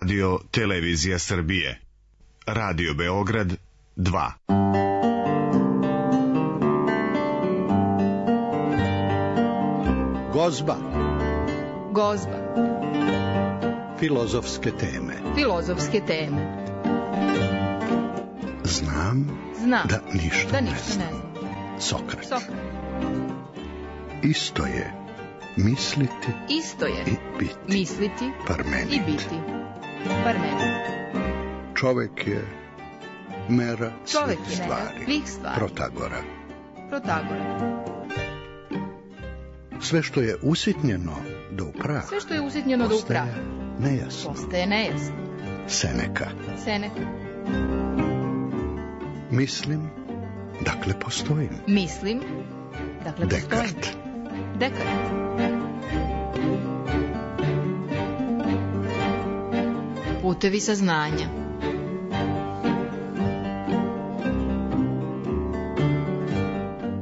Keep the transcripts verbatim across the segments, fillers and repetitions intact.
Radio Televizija Srbije. Radio Beograd dva. Gozba. Gozba. Filozofske teme. Filozofske teme. Znam, Znam da ništa, da ne, ništa znam. ne znam. Sokrat. Sokrat. Isto je misliti Isto je i biti. Misliti Parmenid. i biti. Parmenid. Čovek je mera Čovek svih je mera stvari. svih stvari. Protagora. Protagora. Sve što je usitnjeno do upraha. Sve što je usitnjeno do upraha. Nejasno. Postaje nejasno. Seneka. Seneka. Mislim, dakle postojim. Mislim, dakle postojim. Dekart. Dekart. Putevi saznanja.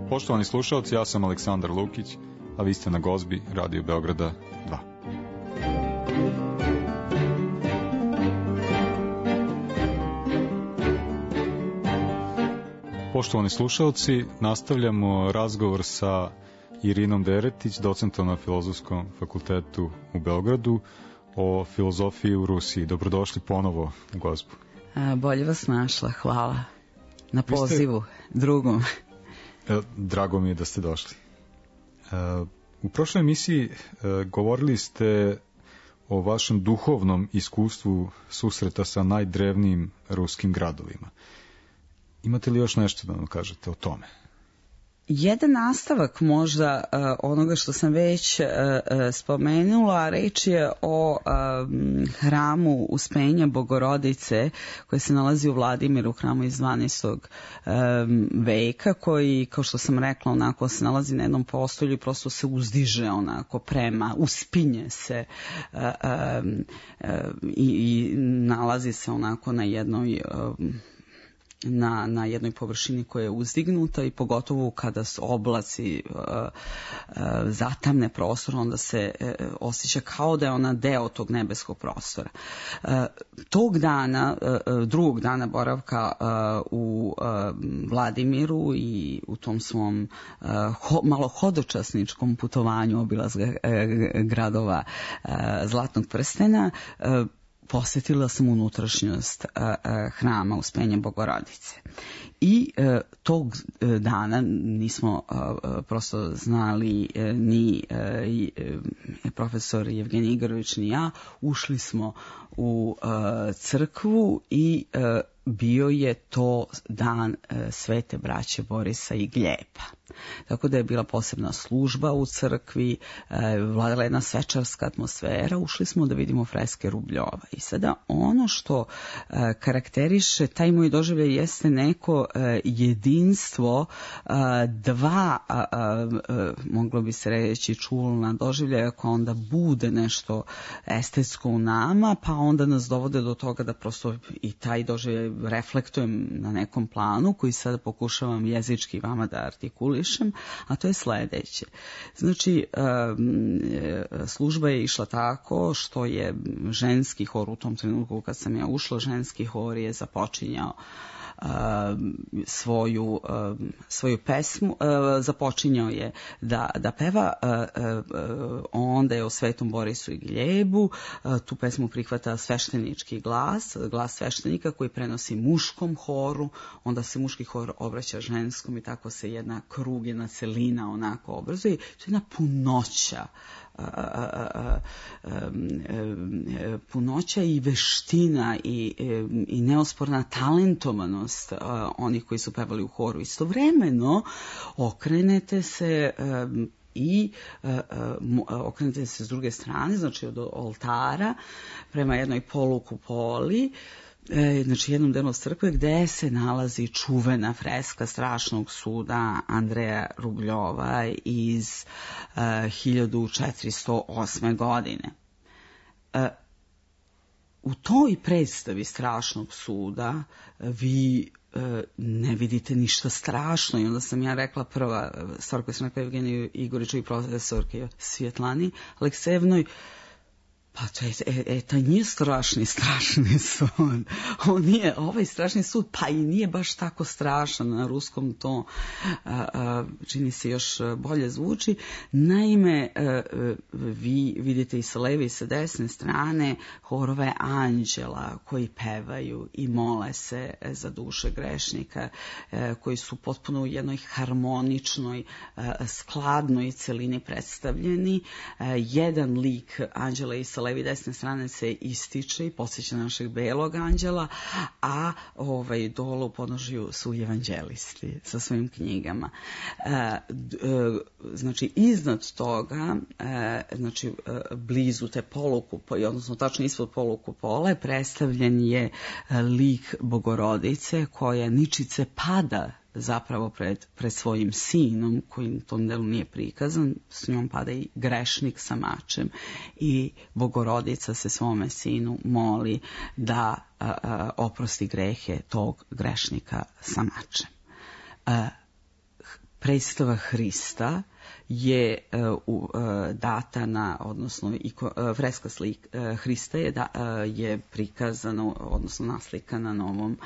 Poštovani slušalci, ja sam Aleksandar Lukić, a vi ste na Gozbi Radio Beograda dva. Poštovani slušalci, nastavljamo razgovor sa Irinom Deretić, docentom na Filozofskom fakultetu u Beogradu, o filozofiji u Rusiji. Dobrodošli ponovo u Gozbu. A, bolje vas našla, hvala na pozivu ste... drugom. Drago mi je da ste došli. U prošloj emisiji govorili ste o vašem duhovnom iskustvu susreta sa najdrevnijim ruskim gradovima. Imate li još nešto da nam kažete o tome? Jedan nastavak možda uh, onoga što sam već uh, spomenula, reč je o uh, hramu Uspenja Bogorodice koji se nalazi u Vladimiru, hramu iz dvanaestog Um, veka, koji, kao što sam rekla, onako se nalazi na jednom postolju i prosto se uzdiže onako prema, uspinje se uh, um, uh, i, i nalazi se onako na jednoj um, Na, na jednoj površini koja je uzdignuta i pogotovo kada su oblaci uh, uh, zatamne prostor, onda se uh, osjeća kao da je ona deo tog nebeskog prostora. Uh, tog dana, uh, drugog dana boravka uh, u uh, Vladimiru i u tom svom uh, ho, malo hodočasničkom putovanju obilazga uh, gradova uh, Zlatnog prstena, uh, posjetila sam unutrašnjost a, a, hrama Uspenja Bogorodice. I a, tog dana nismo a, a, prosto znali a, ni a, i, a, profesor Jevgenij Igorović ni ja. Ušli smo u a, crkvu i a, bio je to dan a, Svete braće Borisa i Gljepa. Tako da je bila posebna služba u crkvi, e, vladala jedna svečarska atmosfera, ušli smo da vidimo freske Rubljova. I sada ono što e, karakteriše taj moj doživljaj jeste neko e, jedinstvo e, dva, a, a, a, moglo bi se reći, čulna doživljaja koja onda bude nešto estetsko u nama, pa onda nas dovode do toga da prosto i taj doživljaj reflektujem na nekom planu koji sada pokušavam jezički vama da artikulišem, a to je sledeće. Znači, služba je išla tako što je ženski hor, u tom trenutku kad sam ja ušla, ženski hor je započinjao svoju, svoju pesmu, započinjao je da, da peva, onda je o Svetom Borisu i Gljebu, tu pesmu prihvata sveštenički glas, glas sveštenika koji prenosi muškom horu, onda se muški hor obraća ženskom i tako se jedna krug, jedna celina onako obrazuje. To je jedna punoća, A, a, a, a, punoća i veština i, i neosporna talentovanost a, onih koji su pevali u horu. Istovremeno okrenete se a, i a, a, okrenete se s druge strane, znači od oltara prema jednoj polukupoli, E, znači jednom delu crkve gde se nalazi čuvena freska Strašnog suda Andreja Rubljova iz e, hiljadu četiristo osme. godine. E, u toj predstavi Strašnog suda vi e, ne vidite ništa strašno i onda sam ja rekla, prva stvar koju sam rekla Evgeniju Igoriću i profesorke Svjetlani Aleksejevnoj, Pa to je, e, e, to nije strašni, strašni sud. On nije, ovaj strašni sud, pa i nije baš tako strašan. Na ruskom to a, a, čini se još bolje zvuči. Naime, a, vi vidite i sa leve i sa desne strane horove anđela koji pevaju i mole se za duše grešnika, a, koji su potpuno u jednoj harmoničnoj, a, skladnoj celini predstavljeni. A, jedan lik anđela i sa levi i desne strane se ističe i podsjeća našeg belog anđela, a ovaj, dole u podnožju su evanđelisti sa svojim knjigama. E, e, znači, iznad toga, e, znači, e, blizu te polukupole, odnosno tačno ispod polukupole, predstavljen je lik Bogorodice koja ničice pada zapravo pred, pred svojim sinom, koji u tom delu nije prikazan, s njom pada i grešnik sa mačem i Bogorodica se svome sinu moli da a, a, oprosti grehe tog grešnika sa mačem. A, predstava Hrista je uh, uh, data na, odnosno iko, uh, freska slika uh, Hrista je, da, uh, je prikazana, odnosno naslikana na ovom,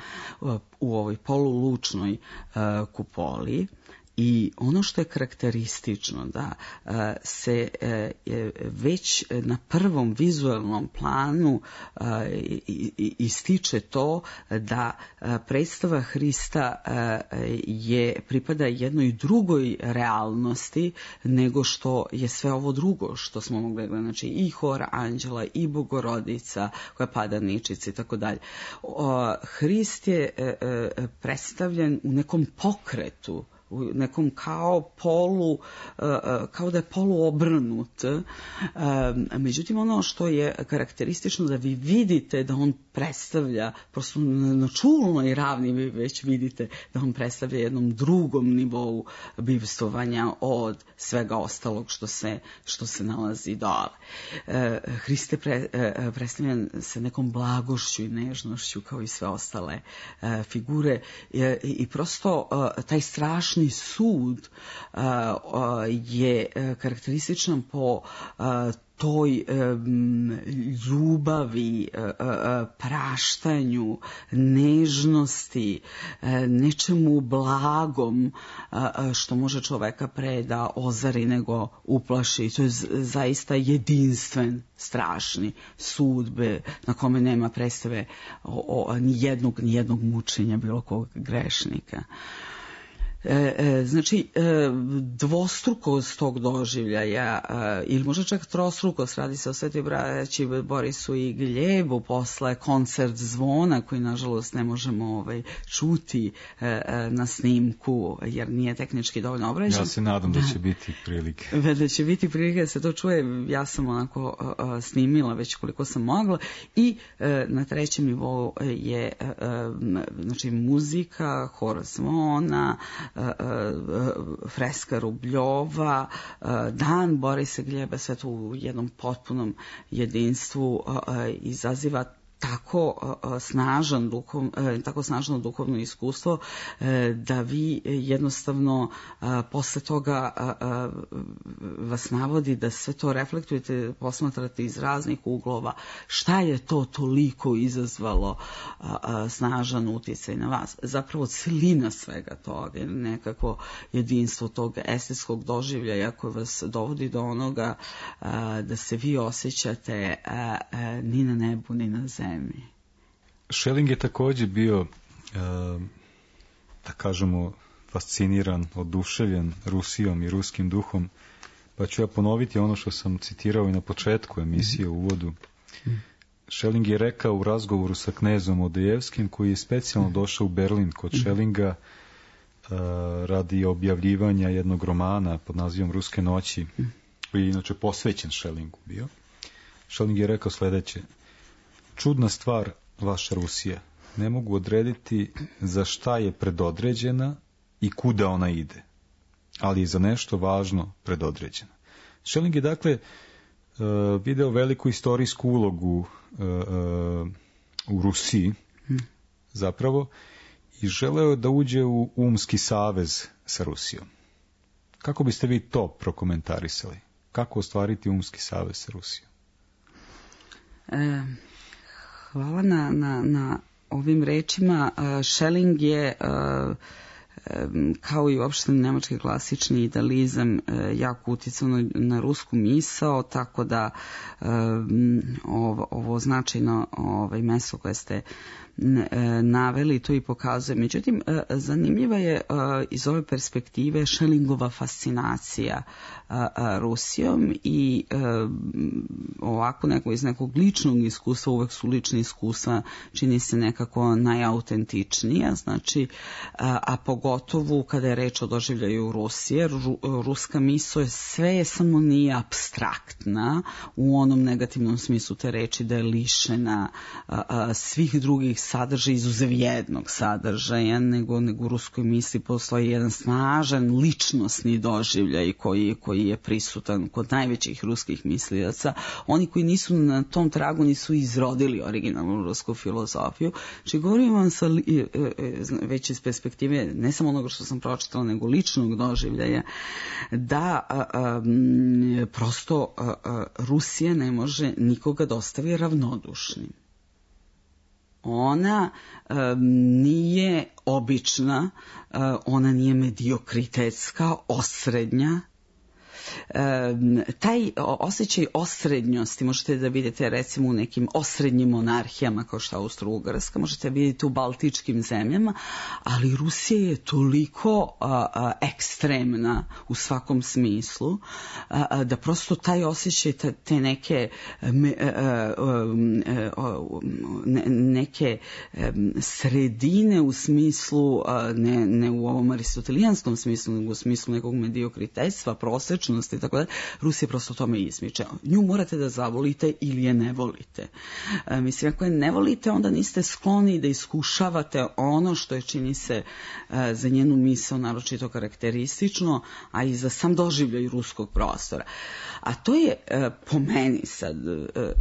uh, u ovoj polulučnoj uh, kupoli. I ono što je karakteristično da uh, se uh, već na prvom vizualnom planu uh, ističe to da uh, predstava Hrista uh, je pripada jednoj drugoj realnosti nego što je sve ovo drugo što smo mogli gledati. Znači i hor anđela i Bogorodica koja pada ničici i tako dalje. Hrist je uh, predstavljen u nekom pokretu, u nekom kao polu, kao da je polu obrnut. Međutim, ono što je karakteristično da vi vidite da on predstavlja, prosto na čulnoj ravni vi već vidite da on predstavlja jednom drugom nivou bivstvovanja od svega ostalog što se, što se nalazi dole. Hrist je pre, predstavljen sa nekom blagošću i nežnošću kao i sve ostale figure i prosto taj strašni sud uh, uh, je uh, karakterističan po uh, toj um, ljubavi, uh, uh, praštanju, nežnosti, uh, nečemu blagom uh, što može čoveka pre da ozari nego uplaši. To je z- zaista jedinstven, strašni sud be, na kome nema predstave o, o, ni jednog, ni jednog mučenja bilo kog grešnika. E, e, znači, e, dvostrukost tog doživljaja, e, ili možda čak trostrukost, radi se o Svetoj braći Borisu i Gljebu, posle koncert zvona, koji nažalost ne možemo ovaj, čuti e, e, na snimku, jer nije tehnički dovoljno obrađen. Ja se nadam da će biti prilike. Da će biti prilike da se to čuje, ja sam onako a, snimila već koliko sam mogla i a, na trećem nivou je a, a, znači muzika, hor zvona, a, a, freska Rubljova, a, dan Borisa Gljeba, sve to u jednom potpunom jedinstvu a, a, izaziva tako uh, snažan duhov, uh, tako snažno duhovno iskustvo uh, da vi jednostavno uh, posle toga uh, uh, vas navodi da sve to reflektujete, posmatrate iz raznih uglova. Šta je to toliko izazvalo uh, uh, snažan utjecaj na vas? Zapravo celina svega toga, nekako jedinstvo tog estetskog doživljaja koje vas dovodi do onoga uh, da se vi osjećate uh, uh, ni na nebu, ni na zemlji. Schelling je također bio, da kažemo, fasciniran, oduševljen Rusijom i ruskim duhom, pa ću ja ponoviti ono što sam citirao i na početku emisije u uvodu. Schelling je rekao u razgovoru sa knezom Odojevskim, koji je specijalno došao u Berlin kod Schellinga radi objavljivanja jednog romana pod nazivom Ruske noći, koji je inače posvećen Schellingu bio. Schelling je rekao sljedeće: čudna stvar vaša Rusija. Ne mogu odrediti za šta je predodređena i kuda ona ide, ali je za nešto važno predodređena. Schelling je dakle video veliku istorijsku ulogu u Rusiji zapravo i želeo da uđe u umski savez sa Rusijom. Kako biste vi to prokomentarisali? Kako ostvariti umski savez sa Rusijom? E, hvala na, na, na ovim rečima. Schelling je, kao i uopšte nemački klasični idealizam, jako uticao na, na rusku misao, tako da ovo, ovo značajno ovaj, mesto koje ste naveli to i pokazuje. Međutim, zanimljiva je iz ove perspektive Schellingova fascinacija Rusijom i ovako neko iz nekog ličnog iskustva, uvek su lične iskustva, čini se nekako najautentičnija, znači, a pogotovo kada je reč o doživljaju Rusije, ruska misao je sve je samo nije apstraktna u onom negativnom smislu te reči da je lišena svih drugih sadržaja, izuzev jednog sadržaja, nego, nego u ruskoj misli postoji jedan snažan ličnosni doživljaj koji, koji je prisutan kod najvećih ruskih mislilaca. Oni koji nisu na tom tragu nisu izrodili originalnu rusku filozofiju. Znači, govorim vam sa, već iz perspektive ne samo onoga što sam pročitala, nego ličnog doživljaja, da a, a, prosto a, a, Rusija ne može nikoga da ostavi ravnodušnim. Ona um, nije obična, uh, ona nije mediokritetska, osrednja. Um, taj osjećaj osrednjosti možete da vidite recimo u nekim osrednjim monarhijama kao što je Austro-Ugarska, možete vidjeti u baltičkim zemljama, ali Rusija je toliko uh, uh, ekstremna u svakom smislu uh, uh, da prosto taj osjećaj te, te neke me, uh, um, uh, ne, neke um, sredine u smislu uh, ne, ne u ovom aristotelijanskom smislu, nego u smislu nekog mediokritetstva, prosečnosti i tako da, Rusija prosto tome izmiče. Nju morate da zavolite ili je ne volite. E, mislim, ako je ne volite, onda niste skloni da iskušavate ono što je, čini se, e, za njenu misao naročito karakteristično, a i za sam doživljaj ruskog prostora. A to je, e, po meni sad, e, e,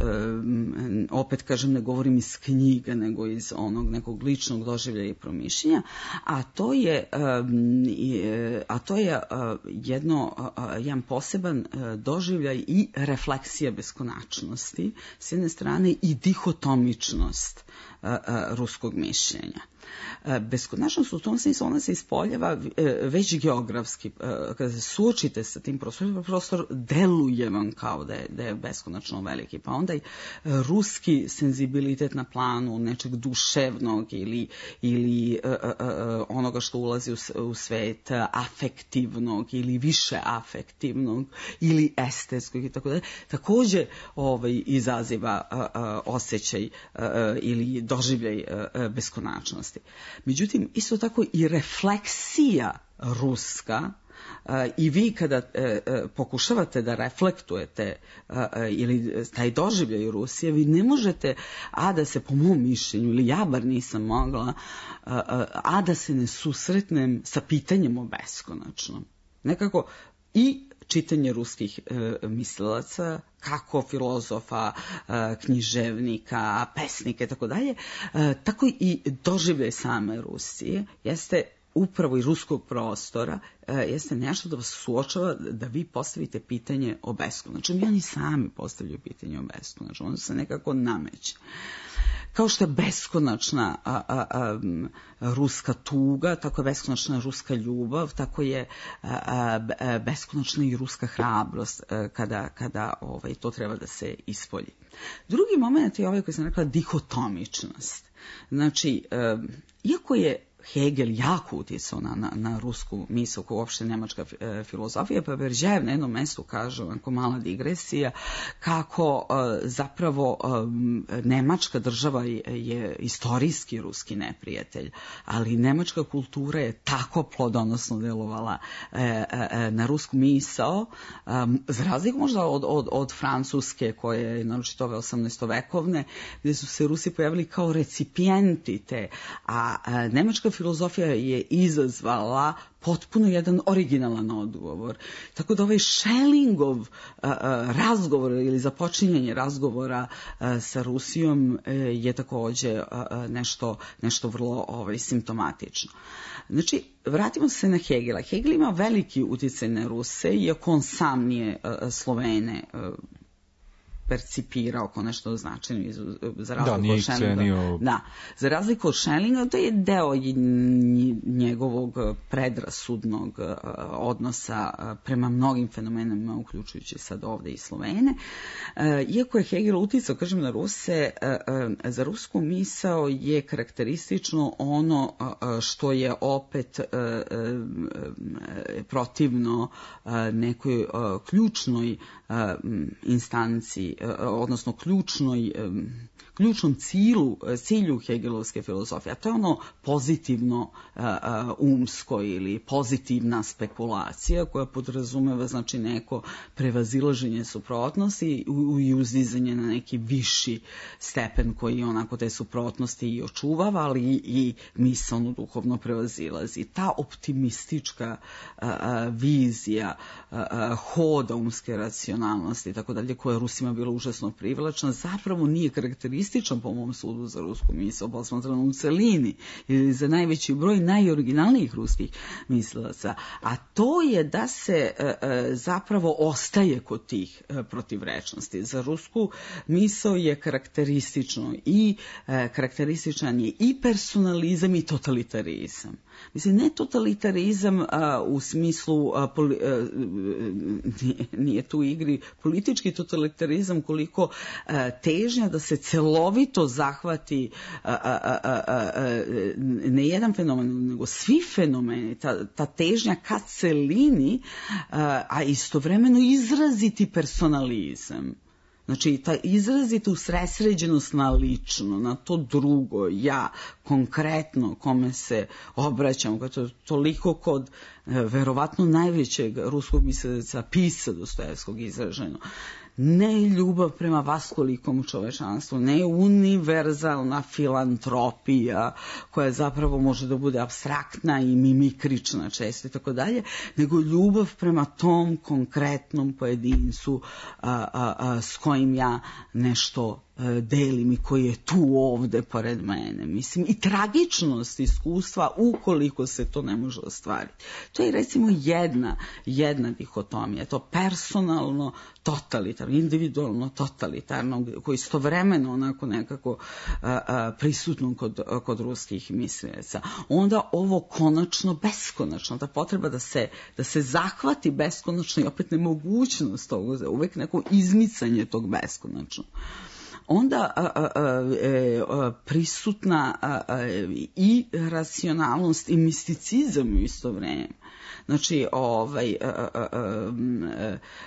opet kažem, ne govorim iz knjiga, nego iz onog nekog ličnog doživljaja i promišljenja, a to je, e, a to je e, jedno, e, jedan poseban doživljaj i refleksija beskonačnosti s jedne strane i dihotomičnost ruskog mišljenja. Beskonačnost u tom smislu ona se ispoljava već geografski. Kada se suočite sa tim prostorom, prostor deluje vam kao da je, da je beskonačno veliki. Pa onda i ruski senzibilitet na planu nečeg duševnog ili, ili onoga što ulazi u svet afektivnog ili više afektivnog ili estetskog i tako dalje, takođe ovaj, izaziva osjećaj ili doživljaj beskonačnosti. Međutim, isto tako i refleksija ruska i vi kada pokušavate da reflektujete ili taj doživljaj Rusije, vi ne možete, a da se po mom mišljenju, ili ja bar nisam mogla, a da se ne susretnem sa pitanjem o beskonačnom. Nekako i čitanje ruskih e, mislilaca, kako filozofa, e, književnika, pesnika i tako dalje, tako i doživljaj same Rusije jeste upravo i ruskog prostora, e, jeste nešto da vas suočava da vi postavite pitanje o beskonačnom. I oni sami postavljaju pitanje o beskonačnom, ono se nekako nameće. Kao što je beskonačna a, a, a, ruska tuga, tako je beskonačna ruska ljubav, tako je a, a, beskonačna i ruska hrabrost a, kada, kada ovaj, to treba da se ispolji. Drugi moment je ovaj koji sam rekla, dihotomičnost. Znači, a, iako je Hegel jako uticao na, na, na rusku misao, koja uopšte nemačka e, filozofija, pa Berđajev na jednom mestu kaže, onako mala digresija, kako e, zapravo e, nemačka država je, je istorijski ruski neprijatelj, ali nemačka kultura je tako plodonosno delovala e, e, na rusku misao, e, za razliku možda od, od, od francuske, koje je naročito ove osamnaestovekovne, gde su se Rusi pojavili kao recipijenti te, a, a nemačka filozofija je izazvala potpuno jedan originalan odgovor. Tako da ovaj Schellingov uh, razgovor ili započinjanje razgovora uh, sa Rusijom uh, je takođe uh, nešto, nešto vrlo ovaj, simptomatično. Znači, vratimo se na Hegela. Hegel ima veliki uticaj na Ruse, iako on sam nije uh, Slovene uh, percipirao kao nešto značajno za razliku da, nije od ih Schellinga. cenio. Da, za razliku od Schellinga, to je deo njegovog predrasudnog odnosa prema mnogim fenomenima, uključujući sad ovde i Slovene. Iako je Hegel uticao, kažem, na Ruse, za rusku misao je karakteristično ono što je opet protivno nekoj ključnoj instanciji, odnosno ključnoj, ključnom cilju, cilju hegelovske filozofije, a to je ono pozitivno umsko ili pozitivna spekulacija koja podrazumeva, znači, neko prevazilaženje suprotnosti i uzdizanje na neki viši stepen koji onako te suprotnosti i očuvava, ali i misalno duhovno prevazilazi. Ta optimistička vizija hoda umske racionalnosti i tako dalje, koja je Rusima bila užasno privlačna, zapravo nije karakterističan po mom sudu za rusku misao posmatrano u celini ili za najveći broj najoriginalnijih ruskih mislilaca, a to je da se zapravo ostaje kod tih protivrečnosti. Za rusku misao je karakteristično i karakterističan je i personalizam i totalitarizam. Mislim, ne totalitarizam a, u smislu, a, poli, a, nije, nije tu u igri politički totalitarizam, koliko a, težnja da se celovito zahvati a, a, a, a, a, ne jedan fenomen, nego svi fenomeni, ta, ta težnja ka celini, a, a istovremeno izraziti personalizam. Znači, ta izrazita usredsređenost na lično, na to drugo, ja, konkretno, kome se obraćam, koje je toliko kod verovatno najvećeg ruskog misleca Pisa Dostojevskog izraženo. Ne ljubav prema vaskolikom čovečanstvu, ne univerzalna filantropija koja zapravo može da bude apstraktna i mimikrična često i tako dalje, nego ljubav prema tom konkretnom pojedincu a, a, a, s kojim ja nešto delim i koji je tu ovde pored mene. Mislim, i tragičnost iskustva ukoliko se to ne može ostvariti. To je recimo jedna, jedna dihotomija, to personalno totalitarno, individualno totalitarno, koji istovremeno onako nekako a, a, prisutno kod, kod ruskih mislilaca. Onda ovo konačno beskonačno, ta potreba da se, da se zahvati beskonačno i opet nemogućnost toga, uvek neko izmicanje tog beskonačno. Onda a, a, a, prisutna a, a, i racionalnost i misticizam u isto vreme. Znači, ovaj, a, a,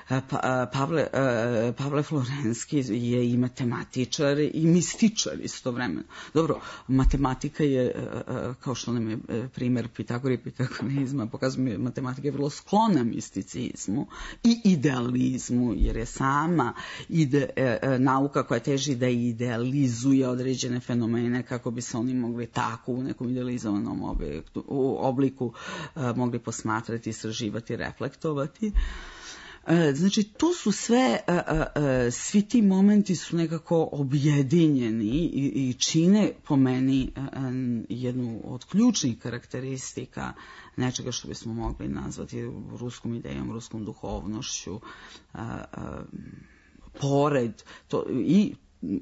a, a, Pavle, a, Pavle Florenski je i matematičar i mističar istovremeno. Dobro, matematika je, a, kao što nam je primer Pitagora i pitagorizma, pokazuje, matematika je vrlo sklona misticizmu i idealizmu, jer je sama ide, a, nauka koja teži da idealizuje određene fenomene kako bi se oni mogli tako u nekom idealizovanom objektu, u obliku a, mogli posmatrati, istraživati, reflektovati. Znači, to su sve, svi ti momenti su nekako objedinjeni i, i čine po meni jednu od ključnih karakteristika nečega što bismo mogli nazvati ruskom idejom, ruskom duhovnošću, pored to, i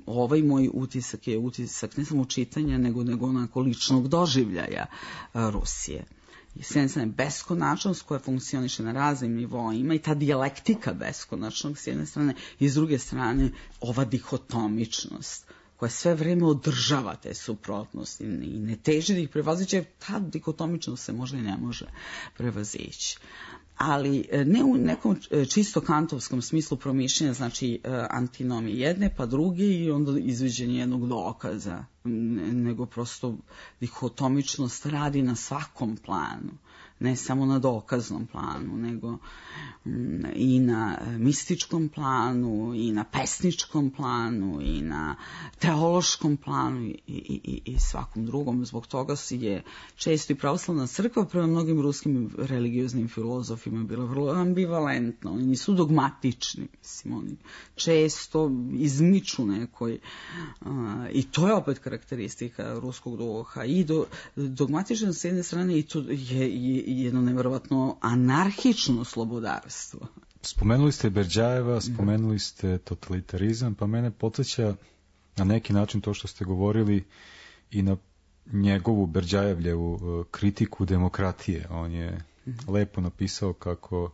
ovaj moj utisak je utisak ne samo čitanja, nego, nego onako ličnog doživljaja Rusije. S jedne strane beskonačnost koja funkcioniše na raznim nivoima i ta dijalektika beskonačnog s jedne strane i s druge strane ova dihotomičnost koja sve vreme održava te suprotnosti i ne teži da ih prevaziće, ta dikotomičnost se možda i ne može prevazići. Ali ne u nekom čisto kantovskom smislu promišljanja, znači antinomije jedne pa druge i onda izviđenje jednog dokaza, nego prosto dihotomičnost radi na svakom planu, ne samo na dokaznom planu, nego i na mističkom planu, i na pesničkom planu, i na teološkom planu i, i, i svakom drugom. Zbog toga je često i pravoslavna crkva prema mnogim ruskim religioznim filozofima bila vrlo ambivalentna. Oni nisu dogmatični, mislim, oni često izmiču nekoj, a, i to je opet karakteristika ruskog duha, i do, dogmatičan s jedne strane i to je, je jedno nevjerovatno anarhično slobodarstvo. spomenuli ste Berdjajeva, spomenuli ste totalitarizam, pa mene podsjeća na neki način to što ste govorili i na njegovu Berdjajevljevu kritiku demokratije. On je mm-hmm. lepo napisao kako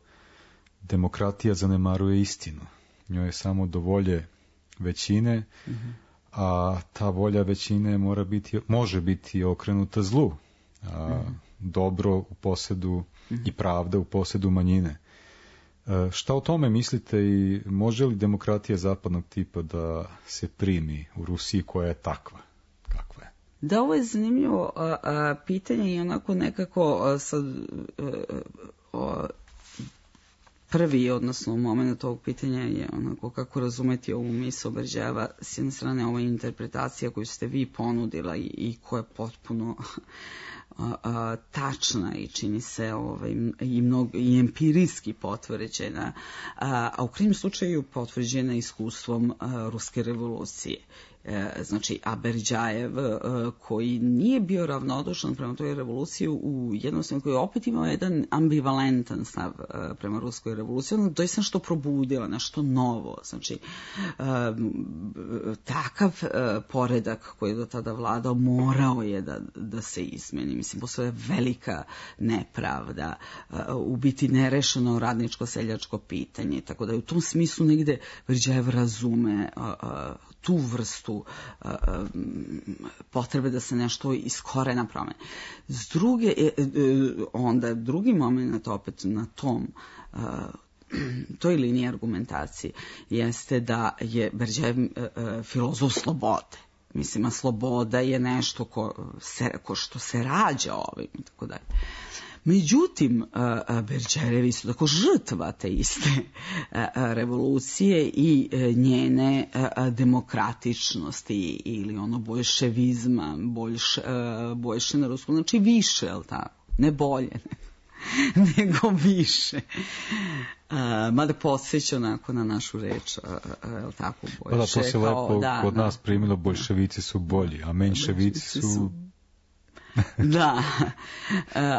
demokratija zanemaruje istinu. Njoj je samo do volje većine, mm-hmm. a ta volja većine mora biti, može biti okrenuta zlu. A mm-hmm. dobro u posedu mm-hmm. i pravda u posedu manjine. E, šta o tome mislite i može li demokratija zapadnog tipa da se primi u Rusiji koja je takva? Kakva je? Da, ovo je zanimljivo a, a, pitanje i onako nekako a, sad a, a, prvi, odnosno moment ovog pitanja je onako kako razumeti ovu misao Berdjajeva. S jedne strane ova interpretacija koju ste vi ponudila i, i koja je potpuno a, a, tačna i čini se ovaj, i, mnogo, i empirijski potvrđena, a, a u krajnjem slučaju potvrđena iskustvom a, Ruske revolucije. Znači, a Berdjajev, koji nije bio ravnodušan prema toj revoluciji, u jednostavno koji je opet imao jedan ambivalentan stav prema Ruskoj revoluciji, ono doista što probudila, nešto novo. Znači, takav poredak koji je do tada vladao morao je da, da se izmeni. Mislim, postoje velika nepravda, u biti nerešeno radničko-seljačko pitanje, tako da u tom smislu negde Berdjajev razume tu vrstu uh, potrebe da se nešto iz korena promeni. S druge, onda drugi moment opet na tom uh, toj liniji argumentacije jeste da je Berdjajev uh, filozof slobode. Mislim, a sloboda je nešto ko, se, ko što se rađa ovim i tako dalje. Međutim, Berdjajev su tako žrtva te iste revolucije i njene demokratičnosti ili ono boljševizma, boljš, boljše na ruskom, znači više, jel tako? Ne bolje, nego više. Mada podsjeća onako na našu reč, jel tako, boljše. Pa da, to se kao, lepo da, kod da, nas primilo, boljševici su bolji, a menševici su... Da,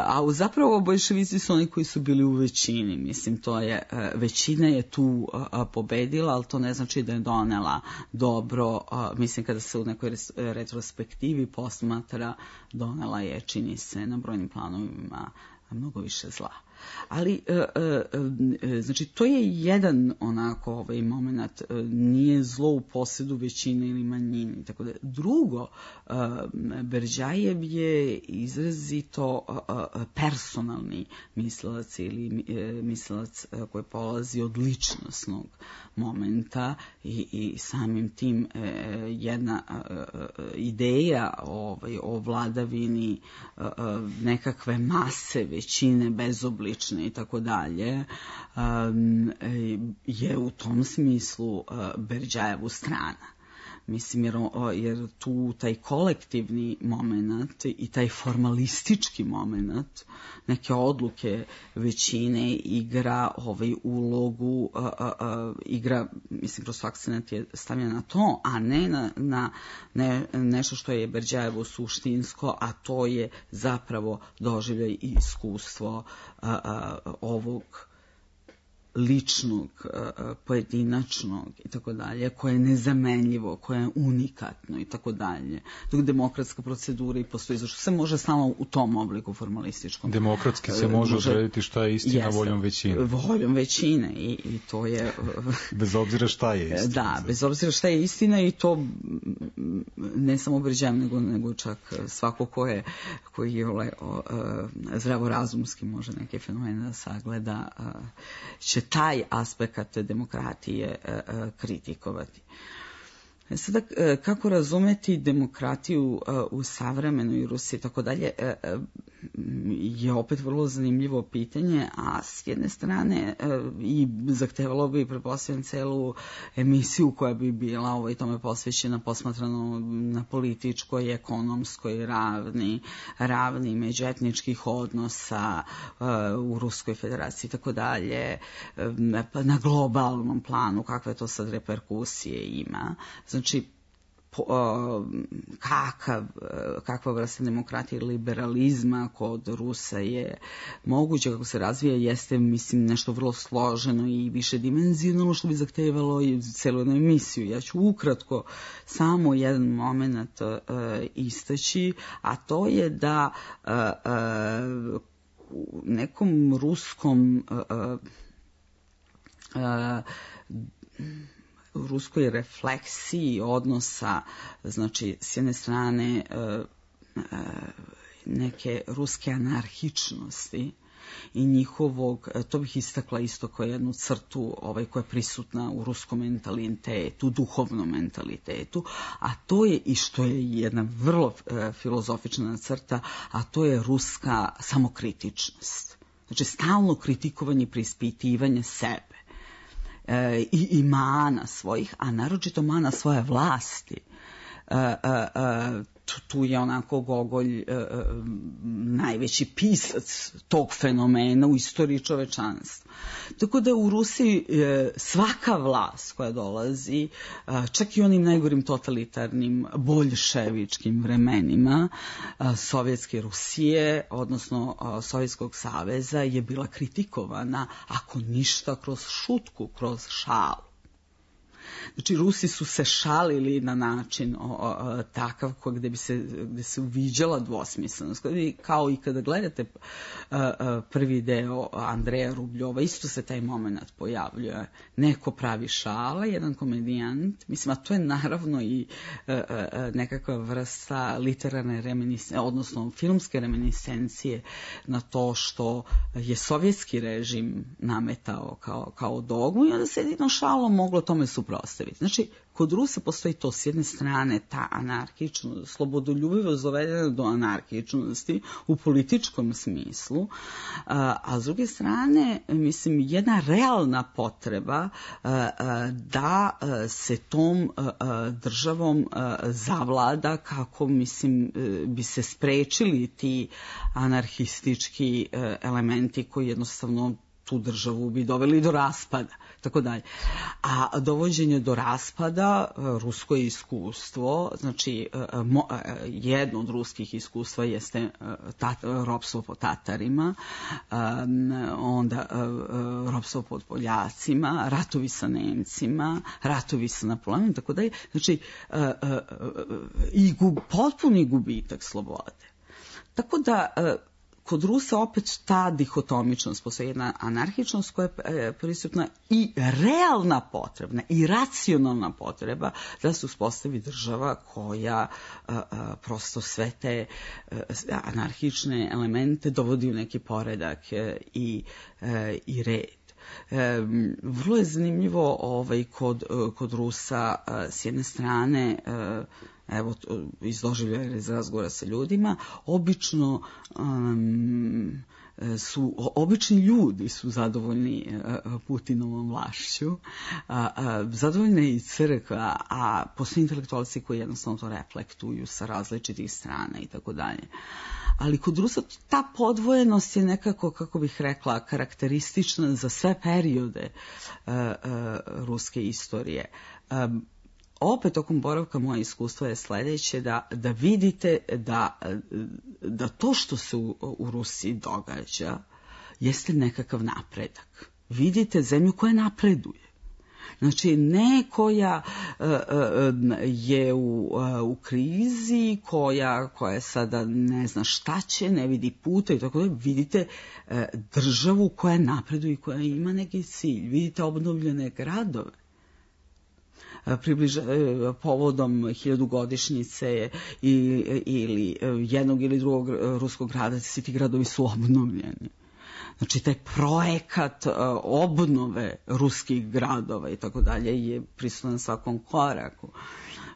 a zapravo boljševici su oni koji su bili u većini, mislim, to je, većina je tu pobedila, ali to ne znači da je donela dobro, mislim, kada se u nekoj retrospektivi posmatra, donela je, čini se, na brojnim planovima mnogo više zla. Ali, e, e, znači, to je jedan onako ovaj moment, nije zlo u posedu većine ili manjini. Tako da, drugo, e, Berdjajev je izrazito e, personalni mislilac ili e, mislilac koji polazi od ličnosnog momenta i, i samim tim e, jedna e, ideja ovaj, o vladavini e, nekakve mase, većine, bezoblične i tako dalje, je u tom smislu Berdjajevu strana. Mislim, jer, jer tu taj kolektivni moment i taj formalistički moment, neke odluke većine igra ovaj ulogu, a, a, a, igra, mislim, prosto akcent je stavljen na to, a ne na, na ne, nešto što je Berdjajevo suštinsko, a to je zapravo doživljaj i iskustvo a, a, ovog ličnog, pojedinačnog i tako dalje, koje je nezamenljivo, koje je unikatno i tako dalje. Dok demokratska procedura i postoji, zašto se može samo u tom obliku formalističkom. Demokratski se može, može odrediti šta je istina jeste, voljom većine. Voljom većine i, i to je... bez obzira šta je istina. Da, bez obzira šta je istina i to ne samo Berdjajev, nego, nego čak svako ko je, koji je ole, o, zdravorazumski može neke fenomene da sagleda, će taj aspekt demokratije kritikovati. Sada, kako razumeti demokratiju u savremenoj Rusiji i tako dalje, je opet vrlo zanimljivo pitanje, a s jedne strane i zahtevalo bi, pretpostavljam, celu emisiju koja bi bila ovaj, tome posvećena, posmatrano na političkoj, ekonomskoj ravni, ravni međuetničkih odnosa u Ruskoj federaciji i tako dalje, na globalnom planu, kakve to sad reperkusije ima. Znači, po, kakav, kakva vrsta demokratije i liberalizma kod Rusa je moguće, kako se razvija, jeste, mislim, nešto vrlo složeno i više dimenzionalno, što bi zahtevalo i celu jednu emisiju. Ja ću ukratko samo jedan moment uh, istaći, a to je da uh, uh, u nekom ruskom uh, uh, u ruskoj refleksiji odnosa, znači s jedne strane neke ruske anarhičnosti i njihovog, to bih istakla isto kao jednu crtu ovaj, koja je prisutna u ruskom mentalitetu, duhovnom mentalitetu, a to je i što je jedna vrlo e, filozofična crta, a to je ruska samokritičnost. Znači stalno kritikovanje i preispitivanje sebe i, i mana svojih, a naročito mana svoje vlasti. E, e, e, tu je onako Gogolj e, e, najveći pisac tog fenomena u istoriji čovečanstva. Tako da u Rusiji e, svaka vlast koja dolazi, e, čak i onim najgorim totalitarnim boljševičkim vremenima e, Sovjetske Rusije, odnosno e, Sovjetskog saveza, je bila kritikovana, ako ništa, kroz šutku, kroz šalu. Znači, Rusi su se šalili na način o, o, takav gde bi se, gde se uviđala dvosmislenost. Kao i kada gledate a, a, prvi deo Andreja Rubljova, isto se taj moment pojavljuje. Neko pravi šale, jedan komedijant, mislim, a to je naravno i a, a, nekakva vrsta literarne reminiscencije, odnosno filmske reminiscencije na to što je sovjetski režim nametao kao, kao dogmu i onda se jedino šalom moglo tome suprotstaviti. Znači, kod Rusa postoji to s jedne strane ta anarhičnost, slobodoljubivost dovedena do anarhičnosti u političkom smislu, a s druge strane, mislim, jedna realna potreba da se tom državom zavlada kako, mislim, bi se sprečili ti anarhistički elementi koji jednostavno tu državu bi doveli do raspada, tako dalje. A dovođenje do raspada, rusko iskustvo, znači jedno od ruskih iskustva jeste tat, ropstvo pod Tatarima, onda ropstvo pod Poljacima, ratovi sa Nemcima, ratovi sa Napoleonom, tako dalje. Znači, i gub, potpuni gubitak slobode. Tako da kod Rusa opet ta dihotomičnost, postoji jedna anarhičnost koja je prisutna i realna potrebna i racionalna potreba da se uspostavi država koja a, a, prosto sve te a, anarhične elemente dovodi u neki poredak a, i, a, i red. E, vrlo je zanimljivo ovaj, kod, kod Rusa a, s jedne strane a, evo, iz doživljaja iz razgovora sa ljudima, obično um, su, obični ljudi su zadovoljni uh, Putinovom vlašću, uh, uh, zadovoljna je i crkva, a postoje intelektualci koji jednostavno to reflektuju sa različitih strana i tako dalje. Ali kod Rusa ta podvojenost je nekako, kako bih rekla, karakteristična za sve periode uh, uh, ruske istorije. Um, Opet tokom boravka moje iskustvo je sledeće, da, da vidite da, da to što se u, u Rusiji događa jeste nekakav napredak. Vidite zemlju koja napreduje. Znači, ne koja uh, uh, je u, uh, u krizi, koja, koja sada ne zna šta će, ne vidi puta i tako da, vidite uh, državu koja napreduje i koja ima neki cilj. Vidite obnovljene gradove. Približa, povodom hiljadugodišnjice ili jednog ili drugog ruskog grada, svi ti gradovi su obnovljeni. Znači, taj projekat obnove ruskih gradova i tako dalje je prisutan na svakom koraku.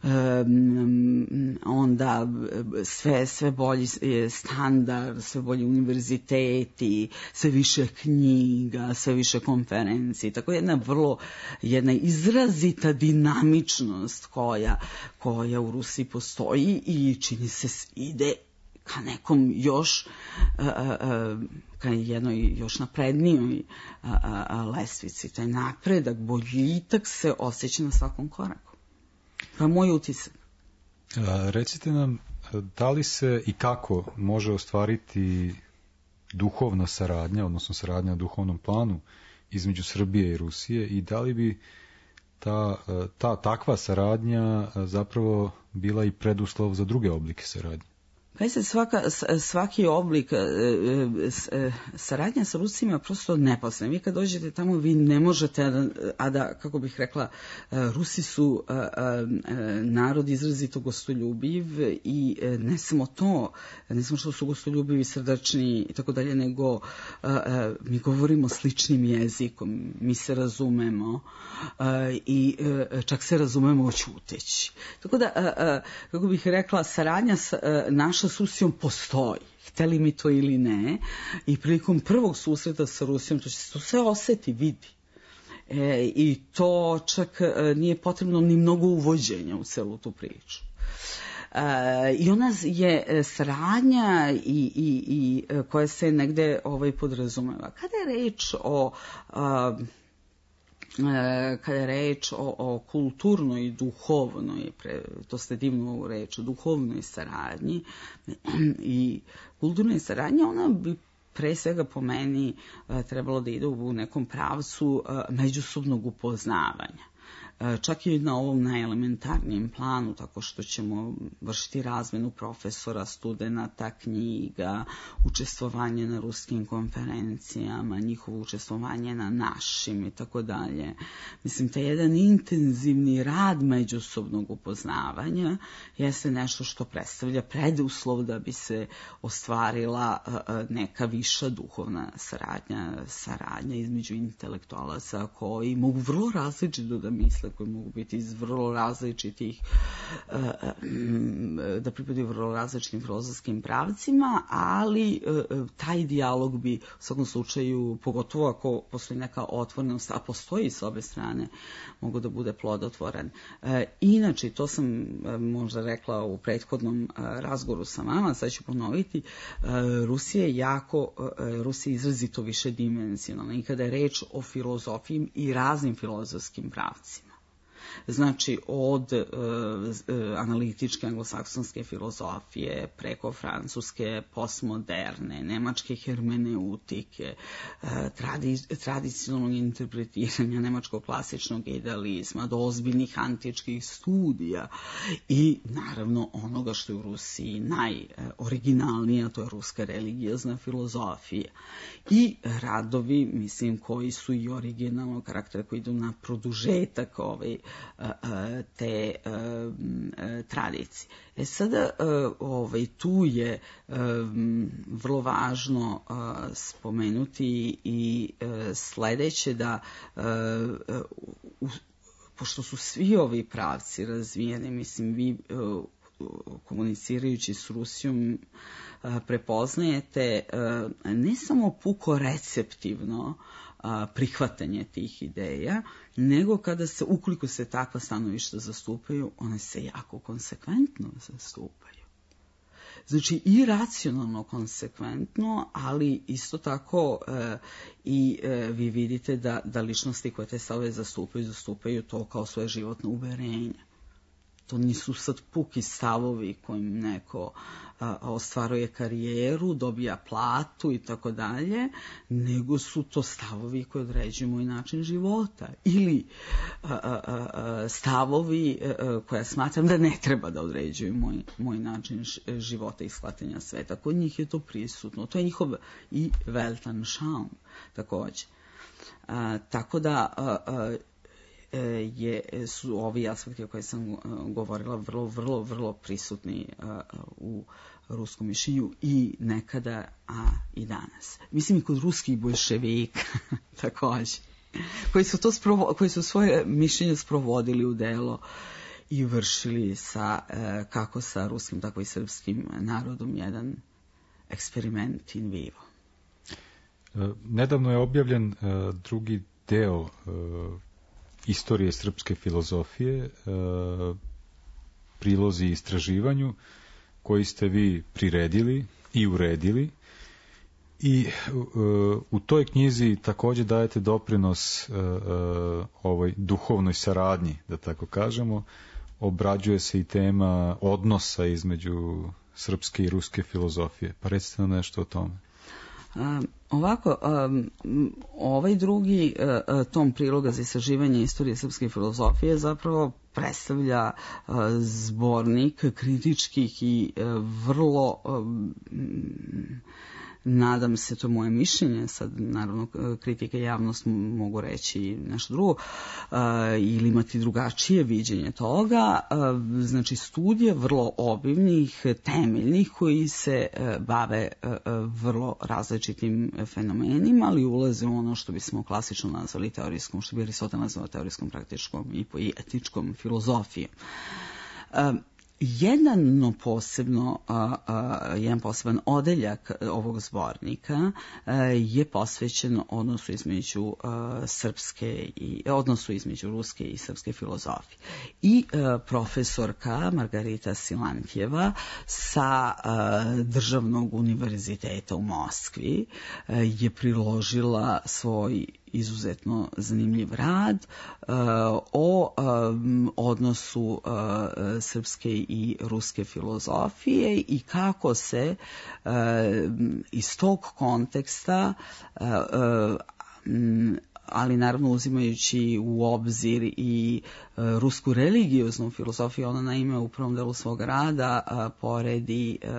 Um, onda sve, sve bolji standard, sve bolji univerziteti, sve više knjiga, sve više konferencije. Tako jedna vrlo, jedna izrazita dinamičnost koja, koja u Rusiji postoji i čini se ide ka nekom još, uh, uh, ka jednoj još naprednijoj uh, uh, lestvici. Taj napredak, boljitak se osjeća na svakom koraku. To je moj utisak. A, recite nam, da li se i kako može ostvariti duhovna saradnja, odnosno saradnja na duhovnom planu između Srbije i Rusije i da li bi ta, ta takva saradnja zapravo bila i preduslov za druge oblike saradnje? Pazite, svaka, svaki oblik saradnja sa Rusima je prosto neposredna. Vi kad dođete tamo, vi ne možete, a da, kako bih rekla, Rusi su narod izrazito gostoljubiv i ne samo to, ne samo što su gostoljubivi, srdačni i tako dalje, nego mi govorimo sličnim jezikom, mi se razumemo i čak se razumemo oćuteći. Tako da, kako bih rekla, saradnja naša s Rusijom postoji, hteli mi to ili ne, i prilikom prvog susreta sa Rusijom to će se to sve oseti, vidi. E, I to čak nije potrebno ni mnogo uvođenja u celu tu priču. E, I ona je saradnja i, i, i koja se negde ovaj, podrazumeva. Kada je reč o... A, kada je reč o, o kulturnoj i duhovnoj, pre, to ste divnu reč, o duhovnoj saradnji i kulturnoj saradnji, ona bi pre svega po meni trebalo da ide u nekom pravcu međusobnog upoznavanja. Čak i na ovom najelementarnijem planu, tako što ćemo vršiti razmenu profesora, studenata, knjiga, učestvovanje na ruskim konferencijama, njihovo učestvovanje na našim i tako dalje. Mislim, taj jedan intenzivni rad međusobnog upoznavanja jeste nešto što predstavlja preduslov da bi se ostvarila neka viša duhovna saradnja, saradnja između intelektualaca koji mogu vrlo različito da misle, koji mogu biti iz vrlo različitih, da pripadaju vrlo različitim filozofskim pravcima, ali taj dijalog bi u svakom slučaju, pogotovo ako postoji neka otvorenost, a postoji s obe strane, mogu da bude plodotvoren. Inače, to sam možda rekla u prethodnom razgovoru sa vama, sad ću ponoviti, Rusija je jako, Rusija je izrazito više dimenzionalna i kada je reč o filozofiji i raznim filozofskim pravcima. Znači, od e, analitičke anglosaksonske filozofije, preko francuske postmoderne, nemačke hermeneutike, e, tradi, tradicionalnog interpretiranja nemačkog klasičnog idealizma, do ozbiljnih antičkih studija i naravno onoga što je u Rusiji najoriginalnije, to je ruska religiozna filozofija. I radovi, mislim, koji su i originalnog karaktera, koji idu na produžetak ovaj, te tradicije. E sada, ovaj, tu je vrlo važno spomenuti i sledeće da pošto su svi ovi pravci razvijeni, mislim, vi komunicirajući s Rusijom prepoznajete ne samo puko receptivno prihvatanje tih ideja, nego kada se, ukoliko se takva stanovišta zastupaju, one se jako konsekventno zastupaju. Znači i racionalno konsekventno, ali isto tako e, i e, vi vidite da, da ličnosti koje te stavove zastupaju, zastupaju to kao svoje životno uverenje. To nisu sad puki stavovi kojim neko a, ostvaruje karijeru, dobija platu i tako dalje, nego su to stavovi koji određuju moj način života. Ili a, a, a, stavovi a, koja smatram da ne treba da određuju moj, moj način života i shvatanja sveta. Kod njih je to prisutno. To je njihov i Weltanschauung takođe. A, tako da... A, a, Je, su ovi aspekti o kojima sam govorila vrlo, vrlo, vrlo prisutni u ruskom mišljenju i nekada, a i danas. Mislim i kod ruskih bolševika takođe, koji su, to sprovo, koji su svoje mišljenje sprovodili u delo i vršili sa, kako sa ruskim, tako i srpskim narodom jedan eksperiment in vivo. Nedavno je objavljen drugi deo istorije srpske filozofije, prilozi istraživanju koji ste vi priredili i uredili i u toj knjizi takođe dajete doprinos ovoj duhovnoj saradnji, da tako kažemo, obrađuje se i tema odnosa između srpske i ruske filozofije. Pa recite nam nešto o tome. Um, ovako, um, ovaj drugi uh, tom priloga za istraživanje istorije srpske filozofije zapravo predstavlja uh, zbornik kritičkih i uh, vrlo um, nadam se, to je moje mišljenje, sad naravno kritike i javnost mogu reći nešto drugo, uh, ili imati drugačije viđenje toga, uh, znači studije vrlo obimnih, temeljnih, koji se uh, bave uh, vrlo različitim fenomenima, ali ulaze u ono što bismo klasično nazvali teorijskom, što bi Aristotel nazvao teorijskom, praktičkom i poetičkom filozofijom. Uh, Jedno posebno, a, a, jedan poseban odeljak ovog zbornika a, je posvećen odnosu između a, srpske i odnosu između ruske i srpske filozofije. I a, profesorka Margarita Silantjeva sa a, Državnog univerziteta u Moskvi a, je priložila svoj izuzetno zanimljiv rad uh, o um, odnosu uh, srpske i ruske filozofije i kako se uh, iz tog konteksta uh, uh, ali naravno uzimajući u obzir i uh, rusku religioznu filozofiju, ona naime u prvom delu svog rada uh, poredi uh,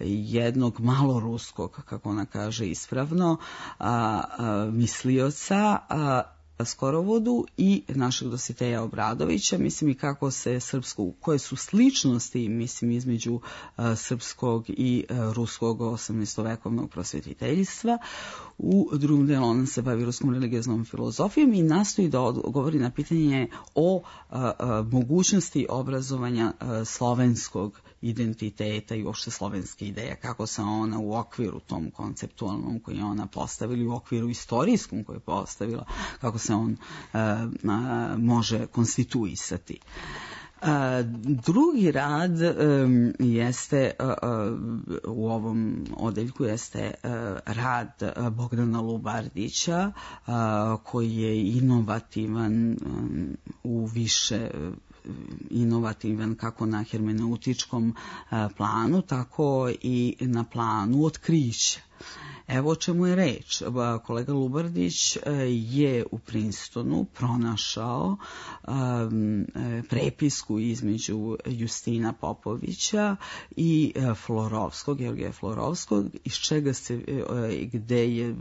jednog maloruskog, kako ona kaže ispravno, uh, uh, mislioca, uh, Skorovodu i našeg Dositeja Obradovića, mislim i kako se srpsko, koje su sličnosti, mislim, između uh, srpskog i uh, ruskog osamnaestovekovnog prosvetiteljstva. U drugom delu ona se bavi ruskom religioznom filozofijom i nastoji da odgovori na pitanje o uh, uh, mogućnosti obrazovanja uh, slovenskog identiteta i uopšte slovenske ideje, kako se ona u okviru tom konceptualnom koji je ona postavila, u okviru istorijskom koji je postavila, kako se on uh, uh, može konstituisati. Uh, drugi rad um, jeste uh, uh, u ovom odeljku jeste uh, rad uh, Bogdana Lubardića uh, koji je inovativan um, u više inovativan kako na hermeneutičkom uh, planu, tako i na planu otkrića. Evo o čemu je reč. Kolega Lubardić je u Princetonu pronašao um, prepisku između Justina Popovića i Florovskog, Georgija Florovskog, iz čega se, gde je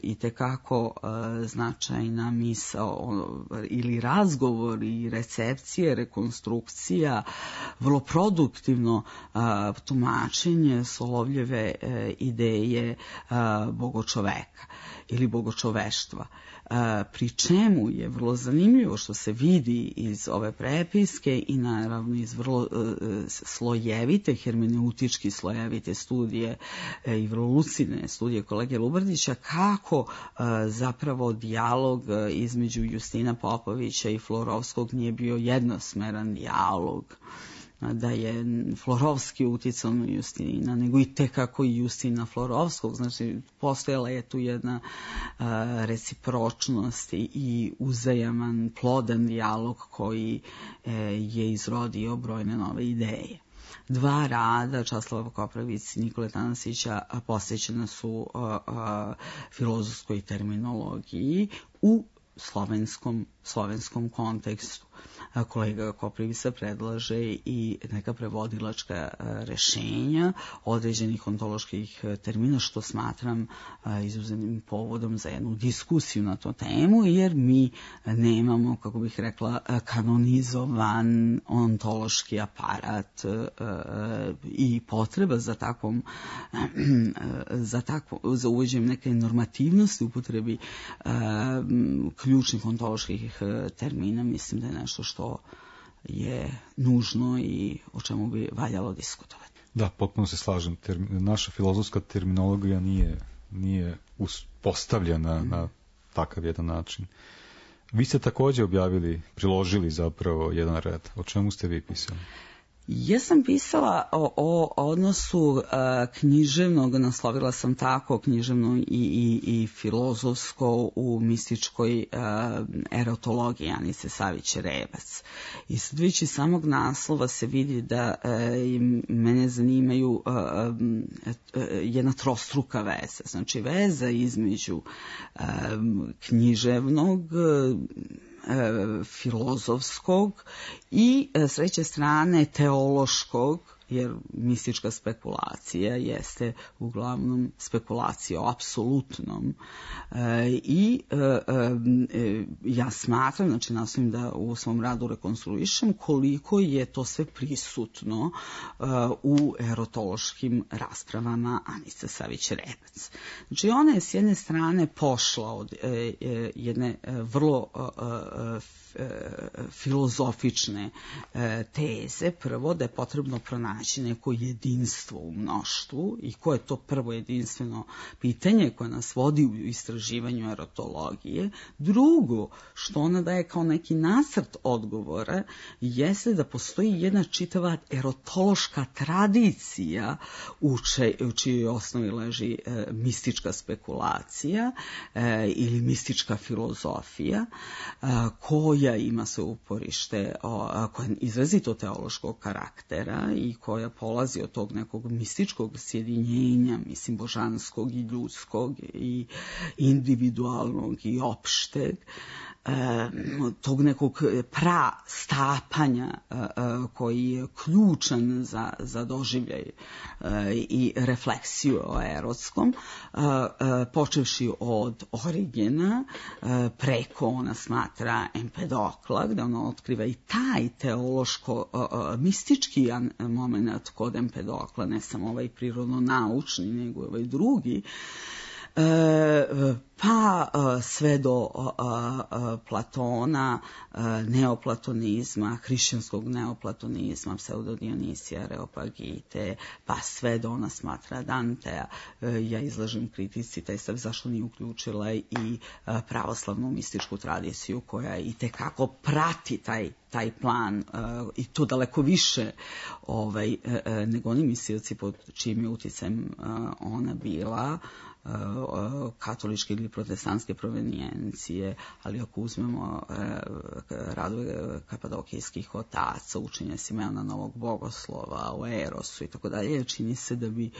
itekako uh, značajna misao ili razgovor i recepcije, rekonstrukcija, vrlo produktivno uh, tumačenje Solovljeve uh, ideje uh, bogočoveka ili bogočoveštva. Pri čemu je vrlo zanimljivo što se vidi iz ove prepiske i naravno iz vrlo slojevite, hermeneutički slojevite studije i vrlo lucidne studije kolege Lubardića, kako zapravo dijalog između Justina Popovića i Florovskog nije bio jednosmeran dijalog, da je Florovski uticao na Justina, nego i tekako i Justina Florovskog. Znači, postojala je tu jedna uh, recipročnost i uzajaman, plodan dijalog koji uh, je izrodio brojne nove ideje. Dva rada Časlava Koprivice i Nikole Tanasića posvećena su uh, uh, filozofskoj terminologiji u slovenskom, slovenskom kontekstu. Kolega Koprivica predlaže i neka prevodilačka rešenja određenih ontoloških termina, što smatram izuzetnim povodom za jednu diskusiju na tu temu, jer mi nemamo, kako bih rekla, kanonizovan ontološki aparat i potreba za takvom za, takvo, za uvođenjem neke normativnosti upotrebi ključnih ontoloških termina. Mislim da je nešto što je nužno i o čemu bi valjalo diskutovati. Da, potpuno se slažem. Termin, naša filozofska terminologija nije, nije uspostavljena mm. na takav jedan način. Vi ste također objavili, priložili zapravo jedan red. O čemu ste vi pisali? Ja sam pisala o, o odnosu uh, književnog, naslovila sam tako književno i, i, i filozofsko u mističkoj uh, erotologiji Anice Savić-Rebac. I sad već iz samog naslova se vidi da uh, mene zanimaju uh, uh, jedna trostruka veza. Znači veza između uh, književnog, uh, filozofskog i s treće strane teološkog, jer mistička spekulacija jeste uglavnom spekulacija o apsolutnom. E, I e, e, ja smatram, znači nastavim da u svom radu rekonstruišem koliko je to sve prisutno e, u erotološkim raspravama Anice Savić-Rebac. Znači ona je s jedne strane pošla od e, e, jedne vrlo e, filozofične e, teze, prvo da je potrebno pronaći neko jedinstvo u mnoštvu i koje je to prvo jedinstveno pitanje koje nas vodi u istraživanju erotologije. Drugo, što ona daje kao neki nacrt odgovora, jeste da postoji jedna čitava erotološka tradicija u, če, u čijoj osnovi leži e, mistička spekulacija e, ili mistička filozofija e, koja ima se uporište, koja je izrazito teološkog karaktera i koja polazi od tog nekog mističkog sjedinjenja, mislim, božanskog i ljudskog i individualnog i opšteg, tog nekog pra stapanja koji je ključan za, za doživljaj i refleksiju o erotskom, počevši od Origena, preko ona smatra Empedokla, gde ona otkriva i taj teološko-mistički moment kod Empedokla, ne samo ovaj prirodno-naučni, nego ovaj drugi, pa sve do Platona, neoplatonizma, hrišćanskog neoplatonizma, pseudodionisija, Areopagite, pa sve do ona smatra Dantea. Ja izlažem kritici taj stav zašto nije uključila i pravoslavnu mističku tradiciju koja i tekako prati taj taj plan uh, i to daleko više ovaj, uh, nego oni mislioci pod čijim je uticajem uh, ona bila, uh, uh, katoličke ili protestantske provenijencije, ali ako uzmemo uh, radove kapadokijskih otaca, učenja Simeona Novog Bogoslova, o Erosu i tako dalje, čini se da bi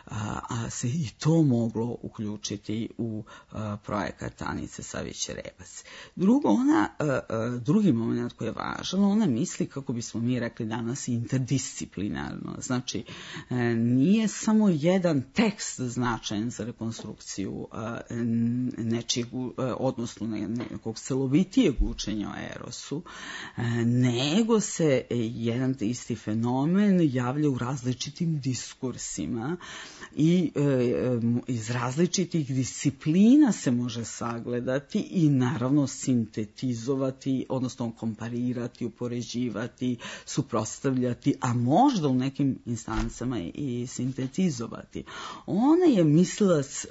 uh, a se i to moglo uključiti u uh, projekat Anice Savić-Rebac. Drugo, ona, uh, uh, drugi moment koji je važan, ona misli, kako bismo mi rekli danas, interdisciplinarno. Znači, nije samo jedan tekst značajan za rekonstrukciju nečijeg, odnosno nekog celovitijeg učenja o Erosu, nego se jedan isti fenomen javlja u različitim diskursima i iz različitih disciplina se može sagledati i naravno sintetizovati, odnosno komparirati, upoređivati, suprotstavljati, a možda u nekim instancama i sintetizovati. Ona je mislilac